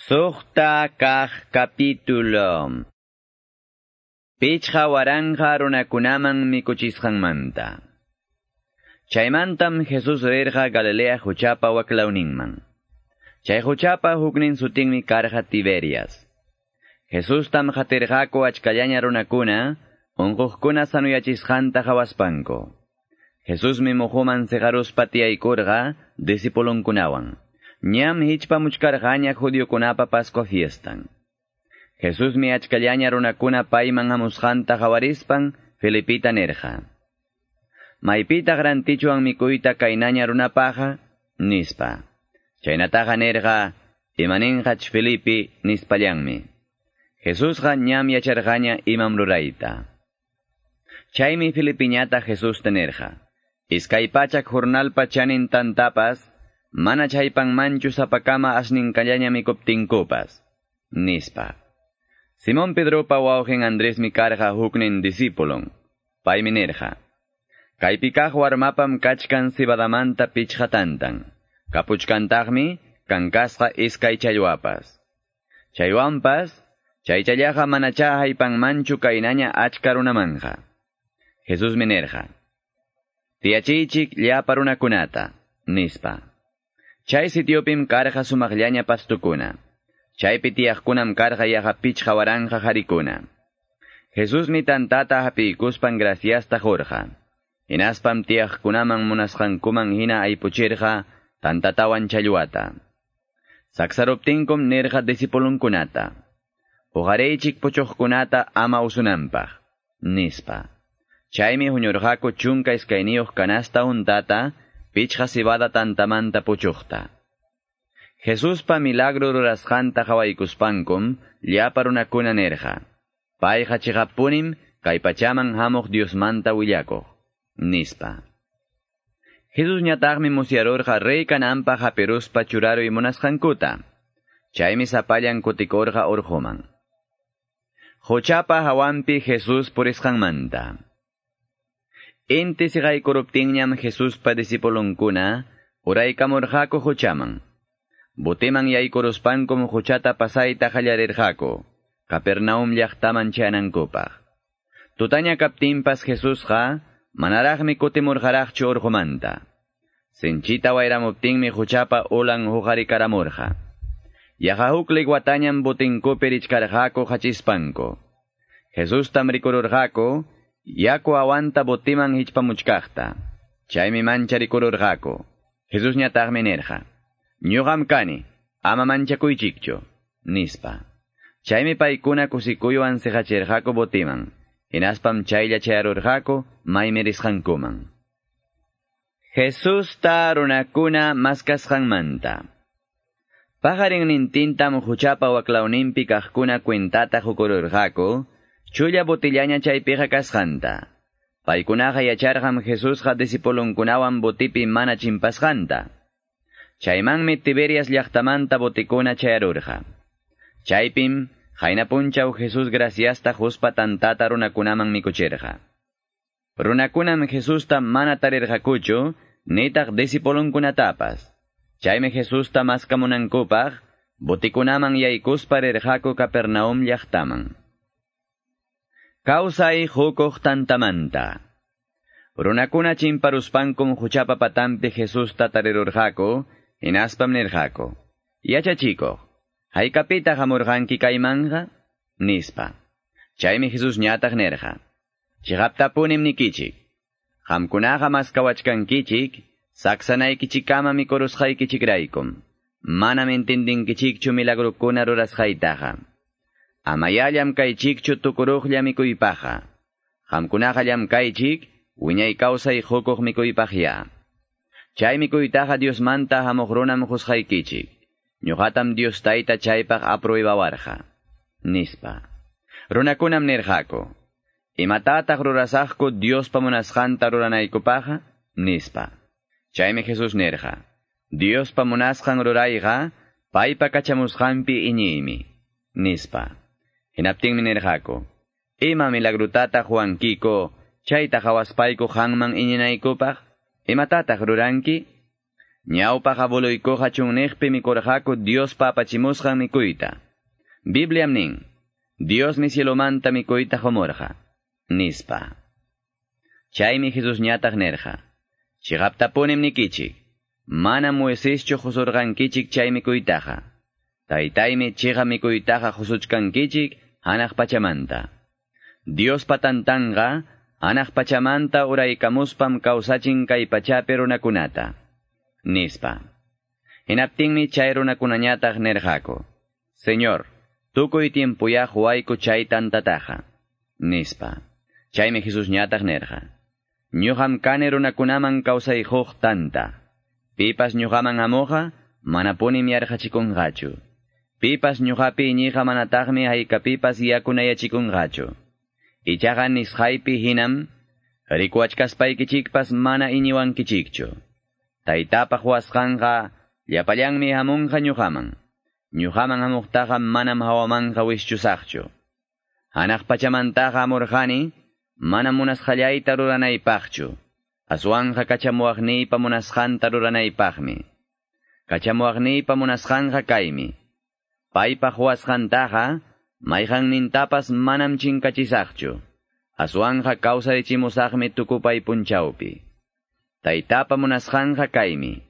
Suqta kaq capítulo. 5000 runakunaman mikuchisqanmanta. Chaymantam Jesús rirqa Galilea huchapa waklawninman. Chay huchapa huknin sutinmi karqa Tiberias. Jesustam qatirqaku achkallaña runakuna, unquqkuna sanuyachisqanta qhawaspanku. Jesusmi muhuman siqaruspa tiyaykurqa discipulunkunawan. Ñam hichpamuchkarqaña judiokunapa Pascua fiestan. Jesusmi achkallaña runakuna payman hamusqanta qawarispan Felipita nirqa: Maypitaq rantichuwan mikuyta kaynaña runapaqa, nispa. Chaynataqa nirqa, imaninqach Felipe nispallanmi. Jesusqa ñam yacharqaña imam rurayta. Chaymi Felipiñata Jesusta nirqa: 200 jornalpa chanin tantapas, mana chaypanmanchu sapakama asninkallaña mikuptinkupas, nispa. Simón Pedropa wawqin Andresmi karqa huknin discipulon. Paymi nirqa: Kaypi kaq warmapam kachkan cebadamanta 5 tantan. Kapuchkantaqmi kankasqa 2 challwapas. Chaywanpas, chaychallaqa manacha haypanmanchu kaynaña achka runamanja. Jesusmi nirqa: Tiyachiychik llapa runakunata, nispa. Chay sitiopim karqa sumaqllaña pastukuna. Chaypi tiyaqkunam karqa yaqa 5000 harikuna. Jesusmi tantata hapiykuspan graciasta qurqa. Hinaspam tiyaqkunaman munasqankuman hina aypuchirqa tantatawan challwata. Saksaruptinkum nirqa discipulunkunata: Uqariychik puchuqkunata ama usunanpaq, nispa. Chaymi huñurqaku 12 canasta untata, 5 cebada tantamanta puchuqta. Jesuspa milagro rurasqanta qhawaykuspankum llapa runakuna nirqa: Payqa chiqappunim kay pachaman hamuq Diosmanta willakuq, nispa. Jesusñataqmi musyarurqa rey kananpaq hapiruspa churaruy munasqankuta. Chaymi sapallan kutikurqa urquman. Huchapa hawanpi Jesús purisqanmanta. Inti siqaykuruptinñam Jesuspa discipulunkuna uraykamurqaku huchaman. Botiman yaykuruspankum huchata pasayta qallarirqaku, Capernaum llaqtaman chayanankupaq. Tutaña kaptinpas Jesusqa manaraqmi kutimurqaraqchu urqumanta. Sinchita wayramuptinmi huchapa ulan huqarikaramurqa. Yaqa huk liguatañam botinkupi richkarqaku hachispanku. Jesustam rikururqaku, yaku awanta botiman hichpamuchkaqta. Chaymi mancharikururqaku. Jesusñataqmi nirqa: Ñuqam kani, ama manchakuychikchu, nispa. Chaymi paykuna kusikuywan siqachirqaku botiman. Hinaspam chaylla chayarurqaku maymi risqankuman. Jesusta runakuna maskasqanmanta. Paqarinnintintam huchapa waklawninpi kaqkuna cuentata hukururqaku, chulla botillaña chaypiqa kasqanta. Paykunaqa yacharqam Jesusqa discipulunkunawan botipi mana chimpasqanta. Chaymanmi Tiberias llaqtamanta botikuna chayarurqa. Chaypim qayna punchaw Jesús graciasta quspa tantata runakunaman mikuchirqa. Runakunam Jesusta mana tarirqakuchu, nitaq discipulunkunatapas. Chaymi Jesusta maskamunankupaq botikunaman yaykuspa rirqaku Capernaum llaqtaman. Kawsay hukuq tantamanta. Runakuna chimparuspankum huchapa patampi Jesusta tarirurqaku, hinaspam nirqaku: Yachachikuq, haykapitaq hamurqanki kaymanqa, nispa. Chaymi Jesusñataq nirqa: Chiqaptapunim nikichik, qamkunaqa maskawachkankichik, saksanaykichikkama mikurusqaykichikraykum. Manam entendinkichikchu milagrukuna rurasqaytaqa. Amayá llamkaychikchu tukuruqlla mikuypaqqa. Qamkunaqa llamkaychik, wiñay kawsay hukuq mikuypaqya. Chay mikuytaqa Diosmanta hamuq runam qusqaykichik. Ñuqatam Dios tayta chaypaq apruebawarqa, nispa. Runakunam nirqaku: Imatataq rurasaqku Diospa munasqanta ruranaykupaqqa, nispa. Chaymi Jesús nirqa: Diospa munasqan rurayqa paypa kachamusqanpi iñiymi, nispa. Hinaptinmi nirqaku: Ima milagrutataq ruwankiko chayta qawaspayku qanman iñinaykupaq? Imatataq ruranki? Ñawpaq abueluykuqa chunniqpi mikurqaku Diospa apachimusqan mikuyta. Bibliam nin, Diosmi cielomanta mikuyta qumurqa, nispa. Chaymi Jesusñataq nirqa, Chiqaptapunim nikichik, manam Moiseschu qusurqankichik chay mikuytaqa. Taytaymi chiqa mikuytaqa qusuchkankichik hanaq pachamanta. Diospa tantanqa hanaq pachamanta uraykamuspam kawsachin kay pachapi runakunata, nispa. Hinaptinmi chay runakunañataq nirqaku, Señor, tukuy tiempuyá quwayku chay tantataqa, nispa. Chaymi Jesusñataq nirqa, Ñuqam kani runakunaman kawsay quq tanta. Pipas ñuqaman hamuqqa manapunim yarqachikunqachu. Pipas ñuqapi iñiqqa manataqmi haykapipas yakunayachikunqachu. Ichaqa nisqaypi hinam rikuwachkaspaykichikpas mana iñiwankichikchu. Taytapa quwasqanqa llapallanmi hamunqa ñuqaman. Ñuqaman hamuqtaqa manam hawamanqa wischusaqchu. Hanaq pachamantaqa hamurqani manam munasqallayta ruranaypaqchu. Aswanqa kachamuwaqniypa munasqanta ruranaypaqmi. Kachamuwaqniypa munasqanqa kaymi. Paypa quwasqantaqa mayqannintapas manam chinkachisaqchu. Aswanqa kawsarichimusaqmi tukupay punchawpi. Taytapa munasqanqa kaymi.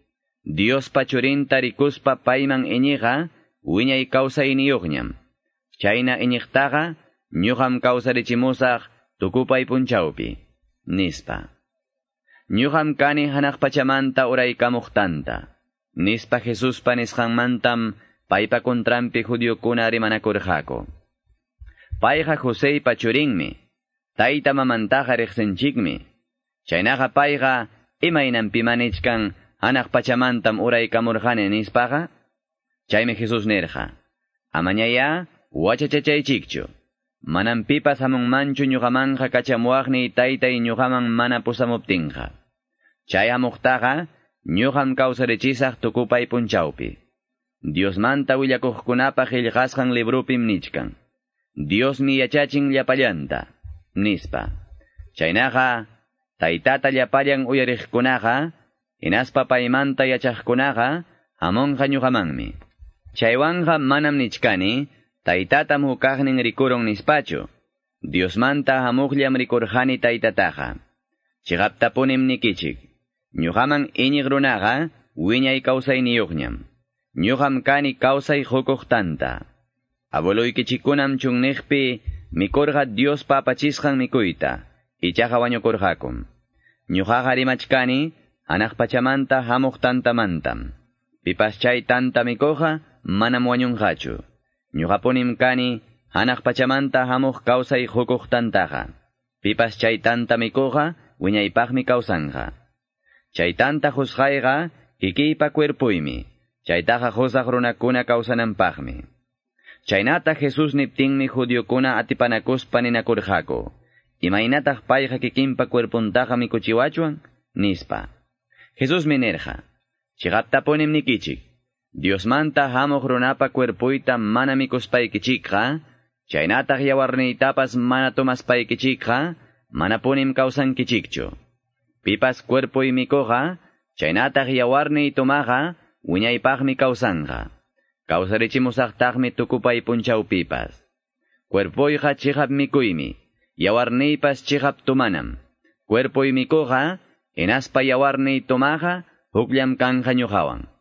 Diospa churinta rikuspa payman iñiqa wiñay kawsayniyuqñam. Chayna iñiqtaqa ñuqam kawsarichimusaq tukupay punchawpi, nispa. Ñuqam kani hanaq pachamanta uraykamuq tanta, nispa Jesuspa nisqanmantam paypa kontranpi judiokuna rimanakurqaku. Payqa Joseypa churinmi, tayta mamantaqa riqsinchikmi. Chaynaqa payqa imaynanpima nichkan hanaq pachamantam uraykamurqani nispaqa? Chaymi Jesús nirqa, Amañayá wachachachaychikchu. Manam pipas hamunmanchu ñuqamanqa kachamuwaqniy taytay ñuqaman mana pusamuptinqa. Chay hamuqtaqa ñuqam kawsarichisaq tukupay punchawpi. Diosmanta willakuqkunapa qillqasqan librupim nichkan. Diosmi yachachin llapallanta, nispa. Chaynaqa taytata llapallan uyariqkunaqa, hinaspa paymanta yachaqkunaqa hamunqa ñuqamanmi. Chaywanqa manam nichkani, taytatam hukaqnin rikurun nispachu. Diosmanta hamuqllam rikurqani taytataqa. Chiqaptapunim nikichik. Ñuqaman iñiq runaqa wiñay kawsayniyuqñam. Ñuqam kani kawsay qukuq tanta. Abueluykichikkunam chunniqpi mikurqa Diospa apachisqan mikuyta, ichaqa wañukurqakum. Ñuqaqa rimachkani hanaq pachamanta hamuq tantamantam. Pipas chay tanta mikuqqa manam wañunqachu. Ñuqapunim kani hanaq pachamanta hamuq kawsay qukuq tantaqa. Pipas chay tanta mikuqqa wiñaypaqmi kawsanqa. Chay tanta qusqayqa kikiypa cuerpuymi. Chaytaqa qusaq runakuna kawsananpaqmi. Chaynata Jesús niptinmi judiokuna atipanakuspa ninakurqaku. Imaynataq payqa kikinpa cuerpuntaqa mikuchiwachwan? Nispa. Jesusmi nirqa, Chiqaptapunim nikichik. Diosmanta hamuq runapa cuerpuyta mana mikuspaykichikqa, chaynataq yawarniytapas mana tomaspaykichikqa, manapunim kawsankichikchu. Pipas cuerpuy mikuqa, chaynataq yawarniy tomaqa, wiñaypaqmi kawsanqa. Kawsarichimusaqtaqmi tukupay punchawpipas. Cuerpuyqa chiqap mikuymi, yawarniypas chiqap tomanam. Cuerpuy mikuqa, hinaspa yawarniy tomaqa, hukllam kanqa ñuqawan.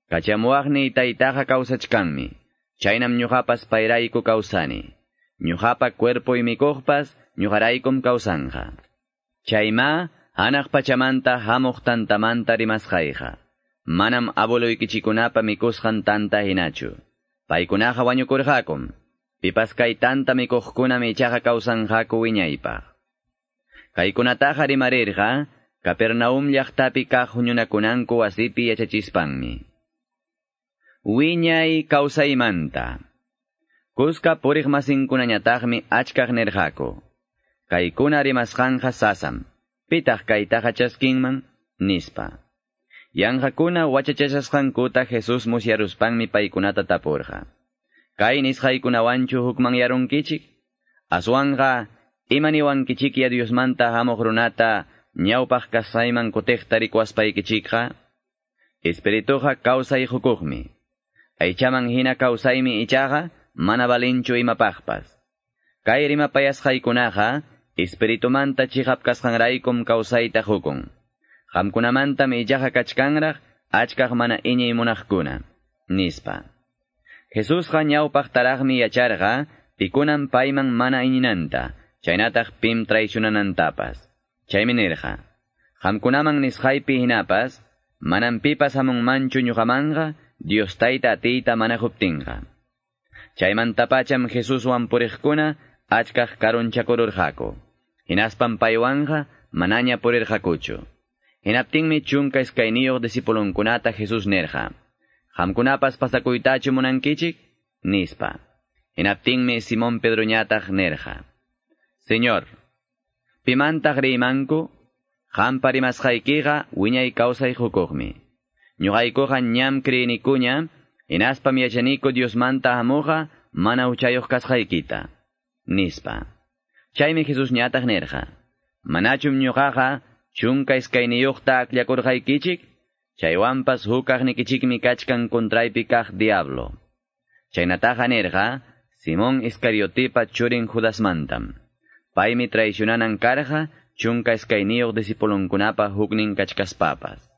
Kachamuwaqniy taytaqa kawsachkanmi, chaynam ñuqapas payrayku kawsani. Ñuqapa cuerpuy mikuqpas ñuqaraykum kawsanqa. Chayma hanaq pachamanta hamuq tantamanta rimasqayqa. Manam abueluykichikunapa mikusqan tanta hinachu. Paykunaqa wañukurqakum. Pipas kay tanta mikuqkunam ichaqa kawsanqaku wiñaypaq. Kaykunataqa rimarirqa Capernaum llaqtapi kaq huñunakunanku wasipi yachachispanmi. Wiñay kawsaymanta. Kuska puriq masinkunañataqmi achkaq nirqaku. Kaykuna rimasqanqa sasam. Pitaq kaytaqa chaskinman? Nispa. Yanqakuna wachachashasqankuta Jesús musyaruspanmi paykunata tapurqa. Kay nisqaykunawanchu hukmanyarunkichik? Aswanqa imaniwankichikya Diosmanta hamuq runata ñawpaq kasayman kutiqta rikuwaspaykichikqa? Espirituqa kawsay hukuqmi. Aychaman hina kawsaymi ichaqa mana valinchu imapaqpas. Kay rimapayasqaykunaqa espiritumanta chiqap kasqanraykum kawsayta hukun. Qamkunamantam ichaqa kachkanraq achkaq mana iñiy munaqkuna, nispa. Jesusqa ñawpaqtaraqmi yacharqa pikunan payman mana iñinanta, chaynataq pim traicionanantapas. Chaymi nirqa, qamkunaman nisqaypi hinapas, manam pipas hamunmanchu ñuqamanqa, Dios tayta atiyta mana huptinqa. Chaymantapacham Jesuswan puriqkuna achkaq karunchakururqaku. Hinaspam paywanqa manaña purirqakuchu. Hinaptinmi 12 discipulunkunata Jesús nirqa: Qamkunapas pasakuytachu munankichik? Nispa. Hinaptinmi Simón Pedroñataq nirqa: Señor, pimantaq riymanku? Qampa rimasqaykiqa wiñay kawsay hukuqmi. Ñuqaykuqa ñam creynikuña, hinaspam yachaniku Diosmanta hamuqa mana huchayuq kasqaykita, nispa. Chaymi Jesús ñataq nirqa: Manachum ñuqaqa 12 akllakurqaykichik? Chaywanpas hukaqnikichikmi kachkan contraypi kaq diablo. Chaynataqa nirqa Simón Iscariotipa churin Judasmantam. Paymi traicionanan karqa 12 discipulunkunapa huknin kachkaspapas.